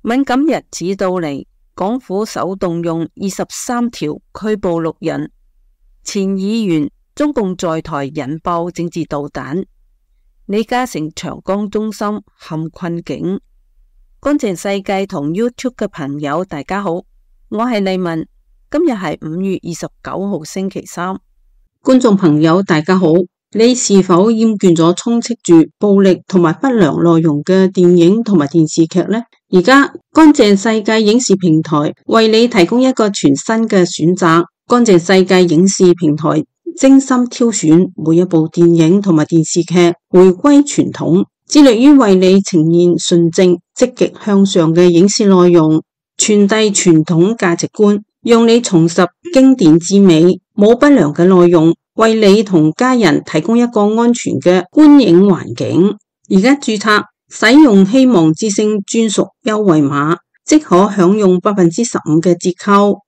敏感日子到嚟，港府首動用23條拘捕6人。前議員中共在台引爆政治導彈。李嘉誠長江中心陷困境。乾淨世界同 YouTube 嘅朋友大家好，我係麗文，今日係5月29號星期三。觀眾朋友大家好，你是否厭倦咗充斥住暴力同埋不良內容嘅電影同埋電視劇呢？而家乾淨世界影視平台為你提供一個全新嘅選擇。乾淨世界影視平台精心挑選每一部電影同埋電視劇，回歸傳統，致力於為你呈現純正、積極向上嘅影視內容，傳遞傳統價值觀，讓你重拾經典之美，冇不良嘅內容，為你同家人提供一個安全嘅觀影環境。而家註冊使用希望之聲專屬優惠碼，即可享用15%嘅折扣。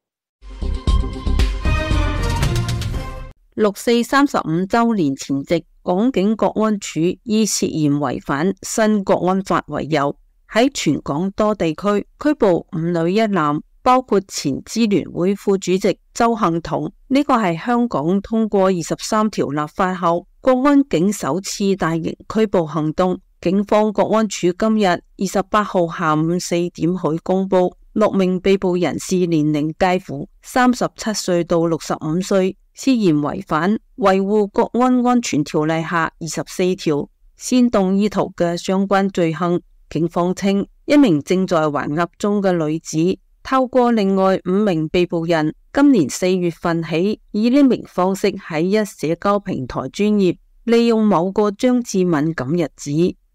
6四35週年前夕，港警國安處以涉嫌違反新國安法為由，喺全港多地區拘捕5女1男，包括前支聯會副主席鄒幸彤。呢個係香港通過23條立法後，國安警首次大型拘捕行動。警方國安處今日28號下午4點許公布，6名被捕人士年齡介乎37歲到65歲，涉嫌違反維護國安安全條例下24條煽動意圖嘅相關罪行。警方稱，一名正在還押中嘅女子透過另外5名被捕人，今年4月份起以呢名方式喺一社交平台專頁，利用某個將至敏感日子，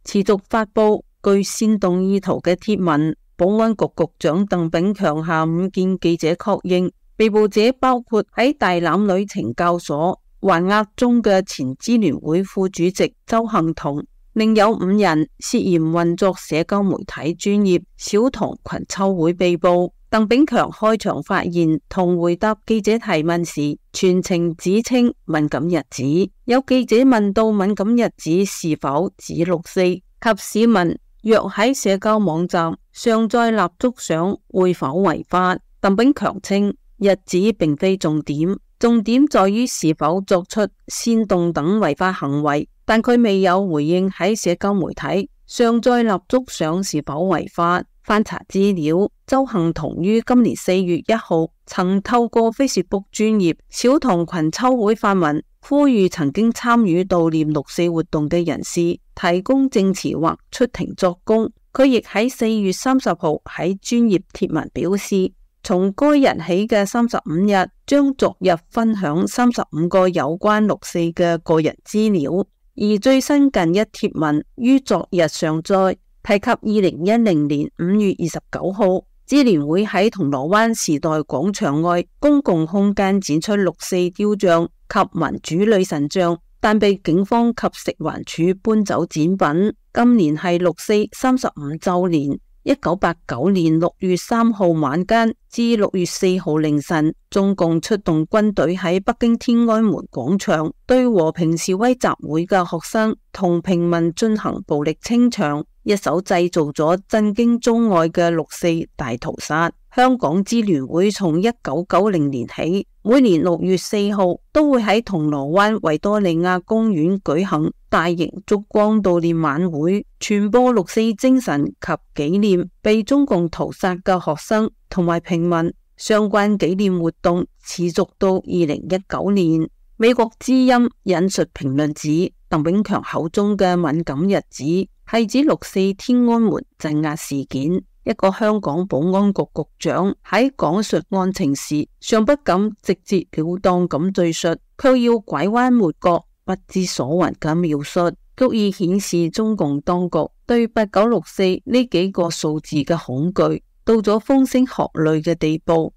持續發佈具煽動意圖嘅貼文。保安局局長鄧炳強下午見記者確認，被捕者包括喺大欖女懲教所還押中嘅前支聯會副主席鄒幸彤，另有5人涉嫌運作社交媒體專頁小童群秋會被捕。鄧炳強開場發言同回答記者提問時，全程只稱敏感日子。有記者問到敏感日子是否指6四，及市民若喺社交網站上載蠟燭相會否違法？鄧炳強稱日子並非重點，重點在於是否作出煽動等違法行為，但佢未有回應喺社交媒體上載蠟燭相是否違法。翻查資料，鄒幸彤於今年4月1號曾透過 Facebook 專頁小童群秋會發文，呼籲曾經參與悼念6四活動嘅人士提供證詞或出庭作供。佢亦喺4月30號喺專頁貼文表示，從該日起嘅35日將逐日分享35個有關6四嘅個人資料，而最新近一貼文於昨日上載，提及2010年5月29號，支聯會喺銅鑼灣時代廣場外公共空間展出6四雕像及民主女神像，但被警方及食環署搬走展品。今年係6四35週年。1989年6月3號晚間至6月4號凌晨，中共出動軍隊喺北京天安門廣場對和平示威集會嘅學生同平民進行暴力清場，一手製造咗震驚中外嘅6四大屠殺。香港支聯會從1990年起，每年6月4號都會喺銅鑼灣維多利亞公園舉行大型燭光悼念晚會，傳播6四精神及紀念被中共屠殺嘅學生同埋平民。相關紀念活動持續到2019年。美國之音引述評論指，鄧炳強口中嘅敏感日子係指6四天安門鎮壓事件。一個香港保安局局長喺講述案情時，尚不敢直截了當咁敘述，卻要拐彎抹角、不知所云嘅描述，足以顯示中共當局對8964呢幾個數字嘅恐懼到咗風聲鶴唳嘅地步。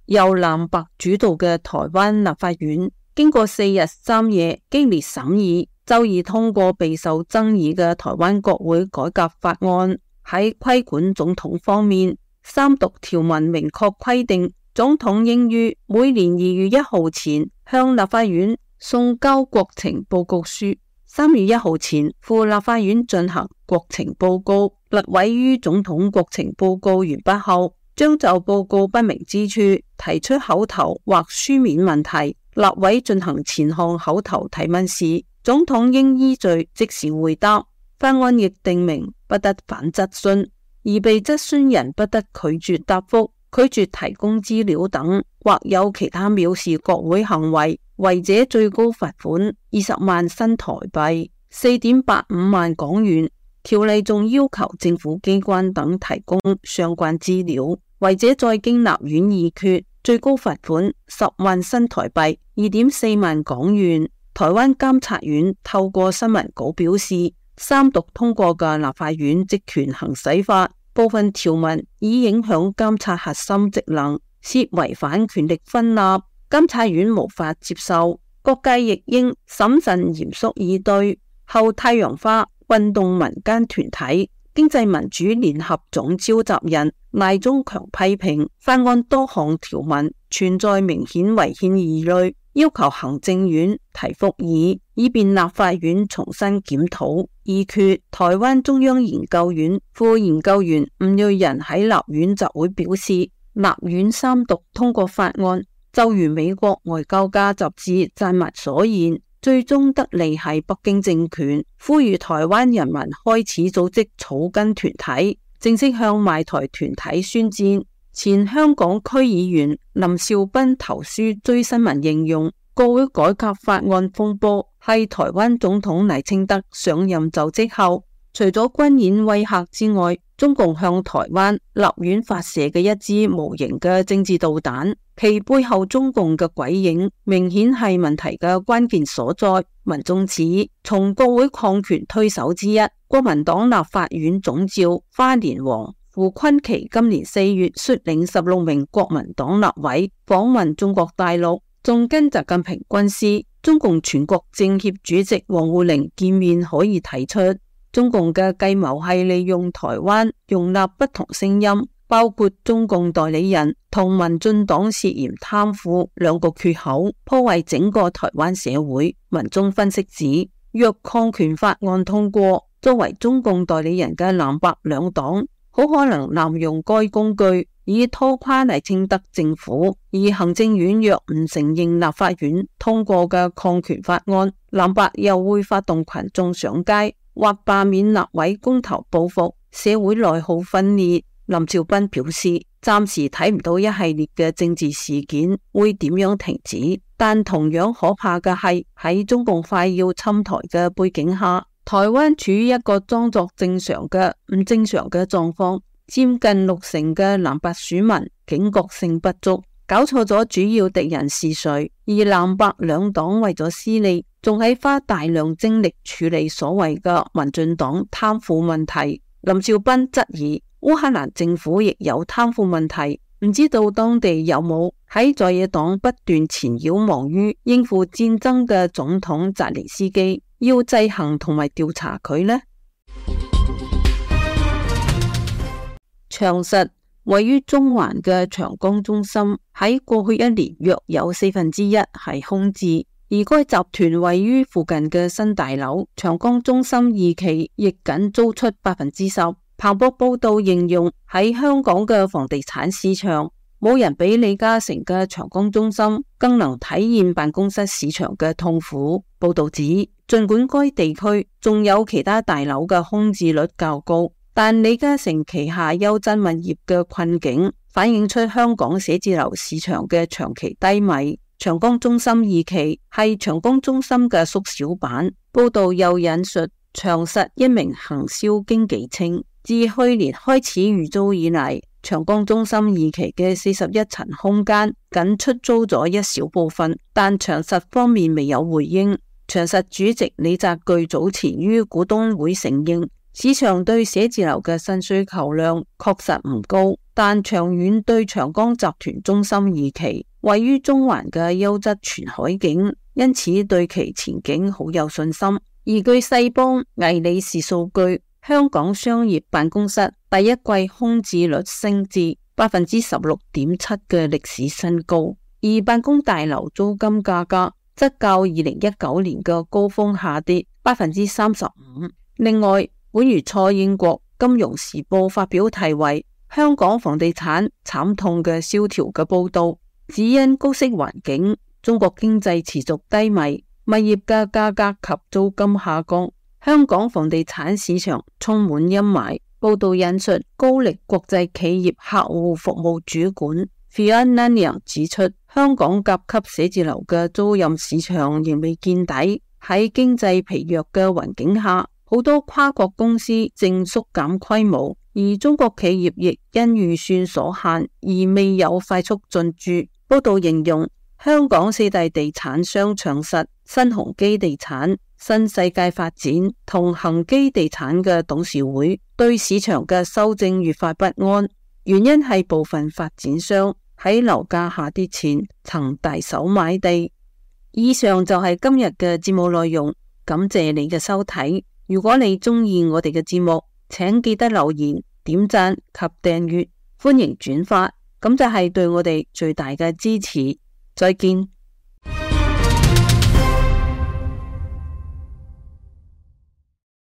由藍白主導嘅台灣立法院經過4日3夜激烈審議，周二通過備受爭議嘅台灣國會改革法案。喺規管總統方面，三讀條文明確規定，總統應於每年2月1號前向立法院送交國情報告書， 3月1號前赴立法院進行國情報告。立委於總統國情報告完畢後，將就報告不明之處提出口頭或書面問題。立委進行前項口頭提問時，總統應依序即時回答。法案亦訂明不得反質詢，而被質詢人不得拒絕答覆、拒絕提供資料等，或有其他藐視國會行為，違者最高罰款20萬新台幣，4.85萬港元。條例仲要求政府機關等提供相關資料，違者再經立院議決，最高罰款10萬新台幣，2.4萬港元。台灣監察院透過新聞稿表示，三讀通過嘅立法院職權行使法部分條文已影響監察核心職能，涉違反權力分立，監察院無法接受，各界亦應審慎嚴肅以對。後太陽花運動民間團體經濟民主聯合總召集人賴中強批評法案多項條文存在明顯違憲疑慮，要求行政院提復議，以便立法院重新檢討議決。台灣中央研究院副研究員吳瑞仁喺立院集會表示，立院三讀通過法案，就如美國外交家雜誌撰文所言，最終得利係北京政權，呼籲台灣人民開始組織草根團體，正式向賣台團體宣戰。前香港區議員林兆斌投書追新聞形容，國會改革法案風波係台灣總統賴清德上任就職後，除咗軍演威嚇之外，中共向台灣立院發射嘅一支無形嘅政治導彈，其背後中共嘅鬼影明顯係問題嘅關鍵所在。民眾指，從國會抗權推手之一國民黨立法院總召花蓮王胡坤琪今年4月率領16名國民黨立委訪問中國大陸，仲跟習近平軍師、中共全國政協主席王滬寧見面，可以睇出中共嘅計謀係利用台灣容納不同聲音，包括中共代理人同民進黨涉嫌貪腐兩個缺口，破壞整個台灣社會。民眾分析指，若抗權法案通過，作為中共代理人嘅藍白兩黨好可能濫用該工具，以拖垮賴清德政府。而行政院若唔承認立法院通過嘅抗權法案，藍白又會發動群眾上街或罷免立委公投報復，社會內耗分裂。林兆斌表示，暫時睇唔到一系列嘅政治事件會點樣停止，但同樣可怕嘅係喺中共快要侵台嘅背景下，台灣處於一個裝作正常嘅唔正常嘅狀況，佔近60%嘅藍白選民警覺性不足，搞錯咗主要敵人是誰，而藍白兩黨為咗私利，仲喺花大量精力處理所謂嘅民進黨貪腐問題。林兆斌質疑烏克蘭政府亦有貪腐問題，唔知道當地有冇喺在野黨不斷纏繞忙於應付戰爭嘅總統澤連斯基，要制衡同埋調查佢呢？長實位於中環嘅長江中心喺過去1年約有1/4係空置，而該集團位於附近嘅新大樓長江中心2期亦僅租出10%。彭博報道形容，喺香港嘅房地產市場，冇人比李嘉誠嘅長江中心更能體驗辦公室市場嘅痛苦。報道指，儘管該地區仲有其他大樓嘅空置率較高，但李嘉誠旗下優質物業嘅困境反映出香港寫字樓市場嘅長期低迷。長江中心2期係長江中心嘅縮小版。報道又引述長實一名行銷經紀稱，自去年開始預租以嚟，長江中心2期嘅41層空間僅出租咗一小部分，但長實方面未有回應。長實主席李澤鉅早前於股東會承認，市場對寫字樓嘅新需求量確實唔高，但長遠對長江集團中心2期位於中環嘅優質全海景，因此對其前景好有信心。而據世邦魏理仕數據，香港商業辦公室第一季空置率升至 16.7% 嘅歷史新高，而辦公大樓租金價格則較2019年嘅高峰下跌， 35%。另外，本月初英國金融時報發表題為香港房地產慘痛嘅蕭條嘅報道，只因高息環境，中國經濟持續低迷，物業嘅價格及租金下降，香港房地產市場充滿陰霾。報道引述高力國際企業客戶服務主管 Fiona 指出，香港甲級寫字樓嘅租賃市場仍未見底，喺經濟疲弱嘅環境下，好多跨國公司正縮減規模，而中國企業亦因預算所限而未有快速進駐。報道形容香港四大地產商長實、新鴻基地產、新世界發展同恒基地產嘅董事會對市場嘅修正愈發不安，原因係部分發展商喺樓價下跌前曾大手買地。以上就係今日嘅節目內容，感謝你嘅收睇。如果你鍾意我哋嘅節目，請記得留言、點讚及訂閱，歡迎轉發，咁就係對我哋最大嘅支持。再見。